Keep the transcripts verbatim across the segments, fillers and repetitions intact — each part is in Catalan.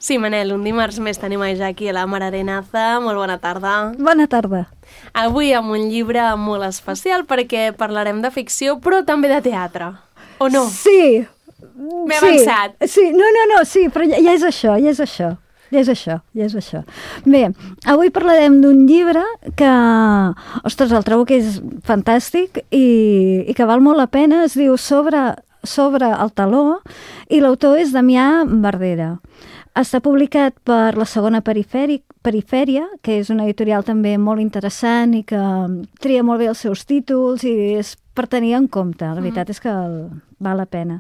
Sí, Manel, un dimarts més tenim a Jackie a la Mar Arenaza. Molt bona tarda. Bona tarda. Avui amb un llibre molt especial perquè parlarem de ficció, però també de teatre. O no? Sí. M'he sí. avançat. Sí, no, no, no, sí, però ja, ja és això, ja és això. Ja és això, ja és això. Bé, avui parlarem d'un llibre que, ostres, el trobo que és fantàstic i, i que val molt la pena. Es diu Sobre, sobre el taló i l'autor és Damià Verdera. Està publicat per la Segona Perifèria, que és una editorial també molt interessant i que tria molt bé els seus títols i és per tenir en compte. La veritat és que val la pena.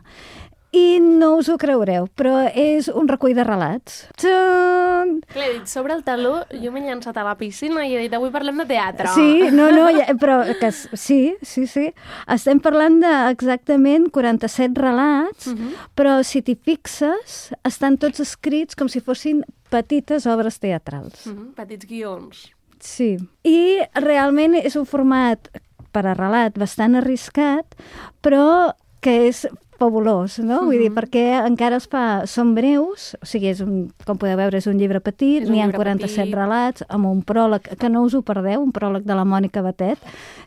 I no us ho creureu, però és un recull de relats. Txan! Clar, he dit Sobre el taló, jo m'he llançat a la piscina i he dit avui parlem de teatre. Sí, no, no, ja, però que, sí, sí, sí. Estem parlant d'exactament quaranta-set relats, uh -huh. però si t'hi fixes, estan tots escrits com si fossin petites obres teatrals. Uh -huh. Petits guions. Sí, i realment és un format per a relat bastant arriscat, però que és fabulós, no? Uh-huh. Vull dir, perquè encara es fa... Són breus, o sigui, és un, com podeu veure, és un llibre petit, n'hi ha quaranta-set petit. relats, amb un pròleg, que no us ho perdeu, un pròleg de la Mònica Batet,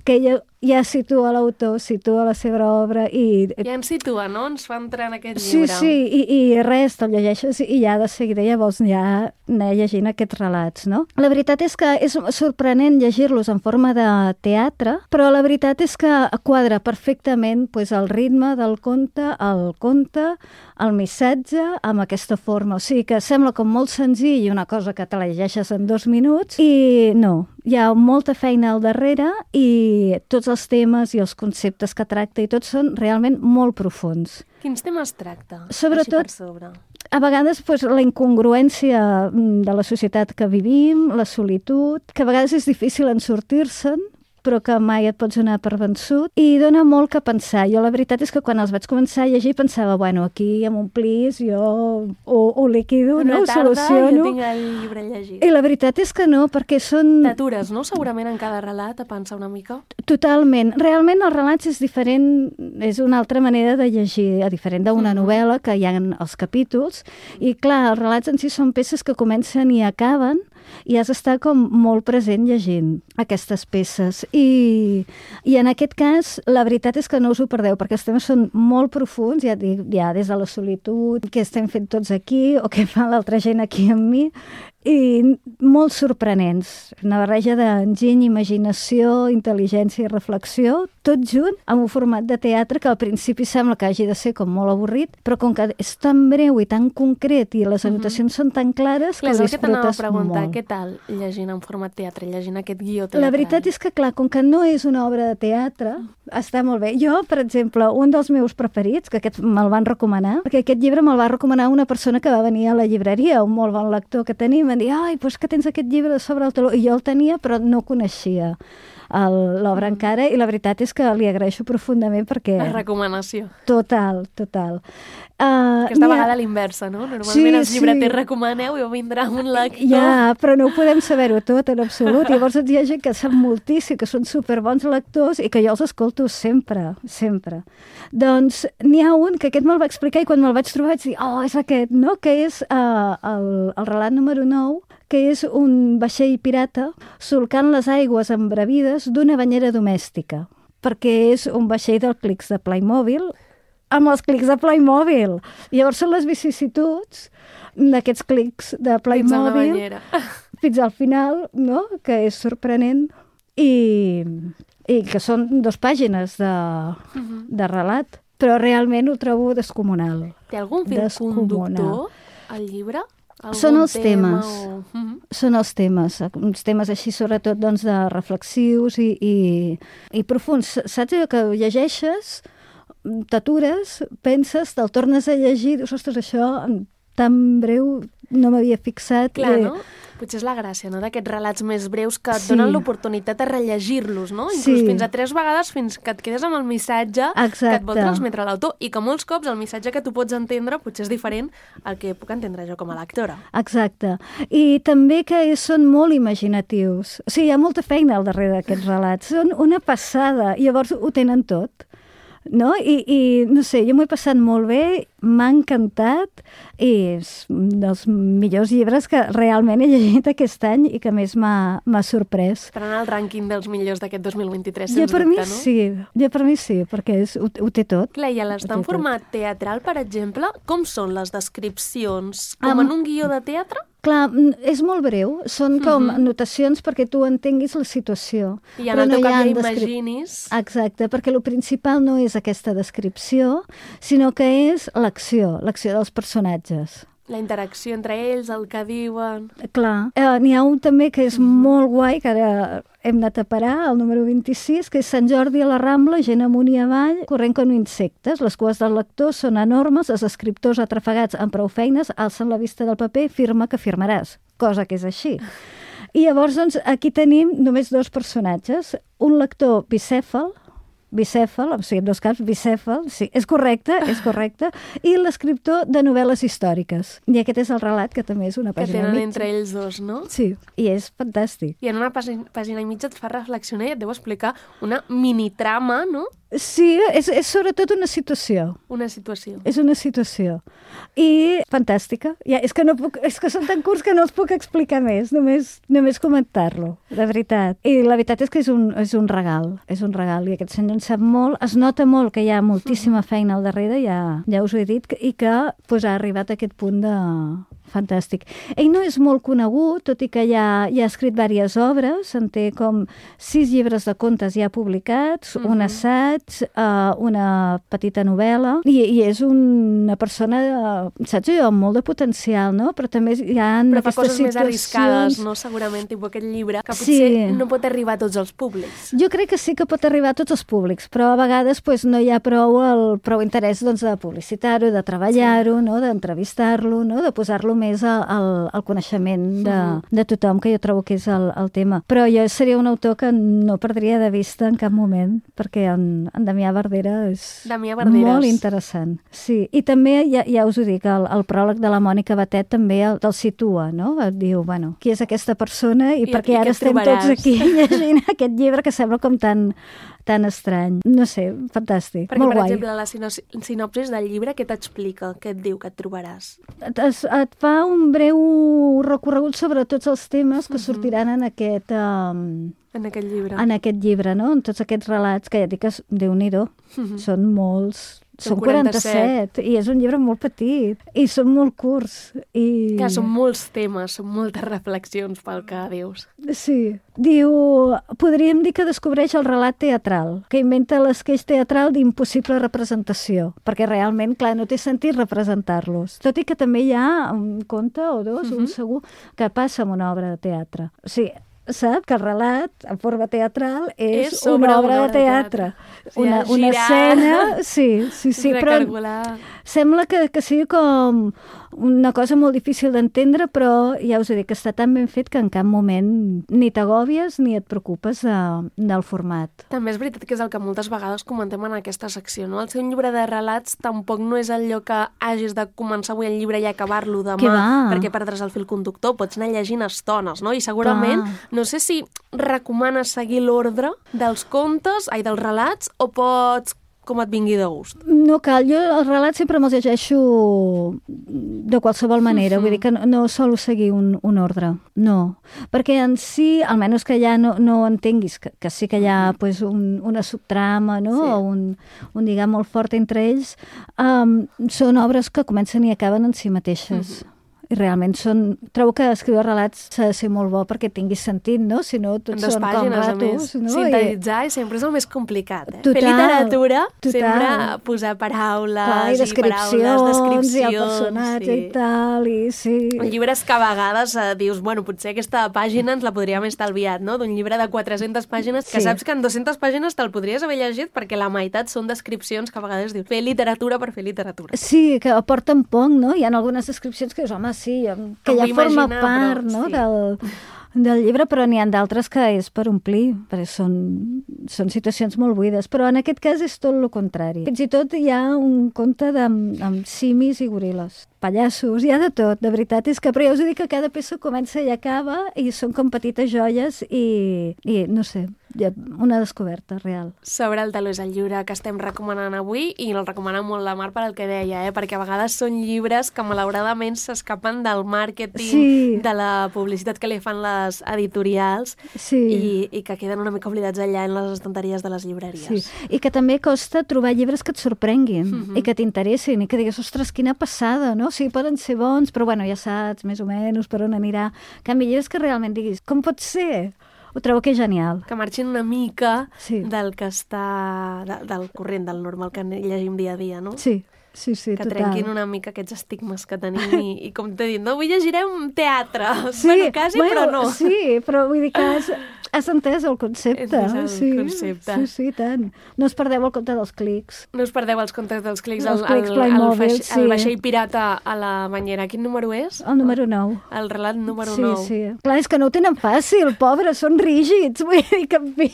que ella ja situa l'autor, situa la seva obra i... Ja ens situa, no? Ens fa entrar en aquest sí, llibre. Sí, sí, i, i res, te'l llegeixes i ja de seguida ja vols ja anar llegint aquests relats, no? La veritat és que és sorprenent llegir-los en forma de teatre, però la veritat és que quadra perfectament pues, el ritme del conte, el conte, el missatge, amb aquesta forma. O sigui que sembla com molt senzill i una cosa que te la llegeixes en dos minuts i no, hi ha molta feina al darrere i tots els temes i els conceptes que tracta i tots són realment molt profunds. Quins temes tracta? Sobretot, sobre? A vegades pues, la incongruència de la societat que vivim, la solitud, que a vegades és difícil en sortir-se'n, però que mai et pots donar per vençut, i dona molt que pensar. Jo la veritat és que quan els vaig començar a llegir pensava, bueno, aquí amb un plis jo ho, ho liquido, una no? Ho tarda soluciono. Jo tinc el llibre llegit. I la veritat és que no, perquè són... T'atures, no? Segurament en cada relat a pensar una mica. Totalment. Realment els relats és diferent, és una altra manera de llegir, a diferent d'una mm-hmm. novel·la que hi ha els capítols, i clar, els relats en si són peces que comencen i acaben, i has d'estar com molt present llegint aquestes peces. I, i en aquest cas, la veritat és que no us ho perdeu, perquè els temes són molt profuns, ja dic, ja des de la solitud, què estem fent tots aquí, o què fa l'altra gent aquí amb mi, i molt sorprenents. Una barreja d'enginy, imaginació, intel·ligència i reflexió, tot junt, amb un format de teatre que al principi sembla que hagi de ser com molt avorrit, però com que és tan breu i tan concret i les anotacions uh-huh. són tan clares clar, que ho disfrutes que preguntar, molt. Què tal llegint en format teatre, llegint aquest guió teatral? La veritat és que, clar, com que no és una obra de teatre, està molt bé. Jo, per exemple, un dels meus preferits, que aquest me'l van recomanar, perquè aquest llibre me'l va recomanar una persona que va venir a la llibreria, un molt bon lector que tenim, em dir, ai, doncs que tens aquest llibre Sobre el taló, i jo el tenia però no coneixia l'obra encara, i la veritat és que li agraeixo profundament perquè... La recomanació. Total, total. Uh, Aquesta vegada a l'inversa, no? Normalment sí, els llibreters sí. recomaneu i vindrà un lector. Ja, però no ho podem saber-ho tot en absolut. Llavors hi ha gent que sap moltíssim, que són superbons lectors i que jo els escolto sempre, sempre. Doncs n'hi ha un que aquest me'l va explicar i quan me'l vaig trobar vaig dir, oh, és aquest, no? Que és uh, el, el relat número nou, que és un vaixell pirata solcant les aigües embravides d'una banyera domèstica, perquè és un vaixell dels clics de Playmobil, amb els clics de Playmobil. Llavors són les vicissituds d'aquests clics de Playmobil fins, fins al final, no? Que és sorprenent, i, i que són dues pàgines de, uh-huh. de relat, però realment ho trobo descomunal. Té algun fil conductor al llibre? Són els tema temes, o... uh-huh. són els temes, uns temes així sobretot doncs, de reflexius i, i, i profuns. Saps allò que llegeixes, t'atures, penses, te'l tornes a llegir, dius, ostres, això tan breu no m'havia fixat. Clar, i... no? Potser és la gràcia, no?, d'aquests relats més breus que et sí. donen l'oportunitat de rellegir-los, no? Inclús sí. fins a tres vegades, fins que et quedes amb el missatge Exacte. Que et vol transmetre l'autor, i que molts cops el missatge que tu pots entendre potser és diferent al que puc entendre jo com a lectora. Exacte. I també que són molt imaginatius. O sigui, hi ha molta feina al darrere d'aquests relats. Són una passada. I llavors ho tenen tot. no? I, i no sé, jo m'ho he passat molt bé, m'ha encantat i és un dels millors llibres que realment he llegit aquest any i que més m'ha sorprès. Per anar al rànquing dels millors d'aquest dos mil vint-i-tres, sens dubte, mi no? Sí, jo per mi sí, perquè és, ho, ho té tot. Clar, i a l'estar en format teatral, per exemple, com són les descripcions? Com Um, en un guió de teatre? Clar, és molt breu, són com uh-huh. anotacions perquè tu entenguis la situació. I en el teu cap ja imaginis... Exacte, perquè el principal no és aquesta descripció, sinó que és l'acció, l'acció dels personatges. La interacció entre ells, el que diuen... Clar. Eh, N'hi ha un també que és uh-huh. molt guai, que ara hem anat a parar, el número vint-i-sis, que és Sant Jordi a la Rambla, gent amunt i avall, corrent com insectes. Les cues dels lectors són enormes, els escriptors atrafegats amb prou feines alcen la vista del paper, firma que firmaràs, cosa que és així. I llavors, doncs, aquí tenim només dos personatges, un lector bicèfal, bicèfal, o sigui, en dos caps, bicèfal, sí, és correcte, és correcte, i l'escriptor de novel·les històriques. I aquest és el relat, que també és una pàgina i mitja. Que tenen entre ells dos, no? Sí, i és fantàstic. I en una pàgina, pàgina i mitja et fa reflexionar i et deu explicar una minitrama, no? Sí, és, és sobretot una situació. Una situació. És una situació. I fantàstica. Ja, és, que no puc, és que són tan curts que no els puc explicar més, només, només comentar-lo, de veritat. I la veritat és que és un, és un regal, és un regal, i aquest senyor en sap molt, es nota molt que hi ha moltíssima feina al darrere, ja, ja us ho he dit, i que pues, ha arribat a aquest punt de... Fantàstic. Ell no és molt conegut, tot i que ja, ja ha escrit diverses obres, en té com sis llibres de contes ja publicats, mm-hmm. un assaig, uh, una petita novel·la, i, i és una persona, uh, saps jo, amb molt de potencial, no? Però també hi ha Però fa aquestes coses situacions... més arriscades, no? Segurament, tipus aquest llibre, que potser sí. no pot arribar a tots els públics. Jo crec que sí que pot arribar a tots els públics, però a vegades pues, no hi ha prou, el, prou interès doncs, de publicitar-ho, de treballar-ho, sí. no? D'entrevistar-lo, no? De posar-lo més al, al coneixement de, de tothom, que jo trobo que és el, el tema. Però jo seria un autor que no perdria de vista en cap moment, perquè en, en Damià Verdera és Damià Verderes. Molt interessant. Sí. I també, ja, ja us ho dic, el, el pròleg de la Mònica Batet també el, el situa, no? Et diu, bueno, qui és aquesta persona i, I per què ara estem tots aquí llegint aquest llibre que sembla com tan... tan estrany. No sé, fantàstic. Perquè, molt per guai. exemple, la sinopsis del llibre, què t'explica? Què et diu que et trobaràs? Et, et fa un breu recorregut sobre tots els temes que uh-huh. sortiran en aquest... Um, en aquest llibre. En aquest llibre, no? En tots aquests relats, que ja dic que, Déu-n'hi-do, uh-huh. són molts... Són quaranta-set, i és un llibre molt petit, i són molt curts. I... Que són molts temes, són moltes reflexions pel que dius. Sí. Diu, podríem dir que descobreix el relat teatral, que inventa l'esqueix teatral d'impossible representació, perquè realment, clar, no té sentit representar-los. Tot i que també hi ha un conte o dos, uh-huh. un segur, que passa amb una obra de teatre. O sigui, sap que el relat, en forma teatral, és, és una obra de teatre. De teatre. Una, sí, una escena... Sí, sí, sí, però sembla que, que sigui com una cosa molt difícil d'entendre, però ja us he dit que està tan ben fet que en cap moment ni t'agòbies ni et preocupes de, del format. També és veritat que és el que moltes vegades comentem en aquesta secció, no? El ser un llibre de relats tampoc no és allò que hagis de començar avui el llibre i acabar-lo demà, perquè perdràs el fil conductor, pots anar llegint estones, no? I segurament... Clar. No sé si recomanes seguir l'ordre dels contes, ai, dels relats, o pots com et vingui de gust. No cal, jo els relats sempre me'ls llegeixo de qualsevol manera, uh-huh. vull dir que no, no solo seguir un, un ordre, no. Perquè en si, almenys que ja no, no entenguis que, que sí que hi ha pues, un, una subtrama, no? Sí. O un, un lligam molt fort entre ells, um, són obres que comencen i acaben en si mateixes. Uh-huh. I realment són... Trobo que escriure relats s'ha de ser molt bo perquè tingui sentit, no? Si no, tots són pàgines, com ratos, no? Sintetitzar I... sempre és el més complicat, eh? Total, fer literatura, total. Sempre posar paraules, clar, i descripcions, i paraules, descripcions... I el personatge sí. I tal, i sí... Llibres que a vegades eh, dius, bueno, potser aquesta pàgina ens la podríem estalviat, no? D'un llibre de quatre-centes pàgines, que sí. Saps que en dues-centes pàgines te'l podries haver llegit perquè la meitat són descripcions que a vegades dius, fer literatura per fer literatura. Sí, que aporten poc, no? Hi ha algunes descripcions que dius, home, sí, que ja forma part, però, no? Sí. del, del llibre, però n'hi ha d'altres que és per omplir, perquè són, són situacions molt buides, però en aquest cas és tot el contrari. Fins i tot hi ha un conte de, amb simis i goril·les. pallassos, hi ha de tot, de veritat. És que, però ja us dic que cada peça comença i acaba i són com petites joies i, i no sé, una descoberta real. Sobre el taló és el llibre que estem recomanant avui i el recomana molt la Mar per al que deia, eh? Perquè a vegades són llibres que malauradament s'escapen del màrqueting, sí. de la publicitat que li fan les editorials sí. i, i que queden una mica oblidats allà en les estanteries de les llibreries. Sí. I que també costa trobar llibres que et sorprenguin uh-huh. i que t'interessin i que digues, ostres, quina passada, no? O sigui, poden ser bons, però bueno, ja saps més o menys per on anirà. En canvi, llibres que realment diguis, com pot ser? Ho trobo que és genial. Que marxin una mica sí. del que està... De, del corrent, del normal que llegim dia a dia, no? Sí, sí, sí, que total. Que trenquin una mica aquests estigmes que tenim i, i com t'he dit, no, avui llegirem teatre. Sí, bueno, quasi, bueno, però no. Sí, però vull dir que has, has entès el concepte. Entès el sí, concepte. Sí, sí, tant. No us perdeu el compte dels clics. No us perdeu els comptes dels clics. Els el, clics el, el, Playmobil, el, sí. el vaixell pirata a la banyera. Quin número és? El número nou. El relat número sí, nou. Sí, sí. Clar, és que no ho tenen fàcil, pobres, són rígids. Vull dir que, en fi,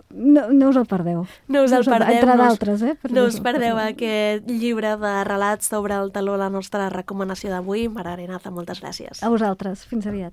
no, no us el perdeu. No us el no perdeu. Entre d'altres, eh? No us perdeu aquest llibre de relats sobre el taló, la nostra recomanació d'avui. Mar Arenaza, moltes gràcies. A vosaltres. Fins aviat.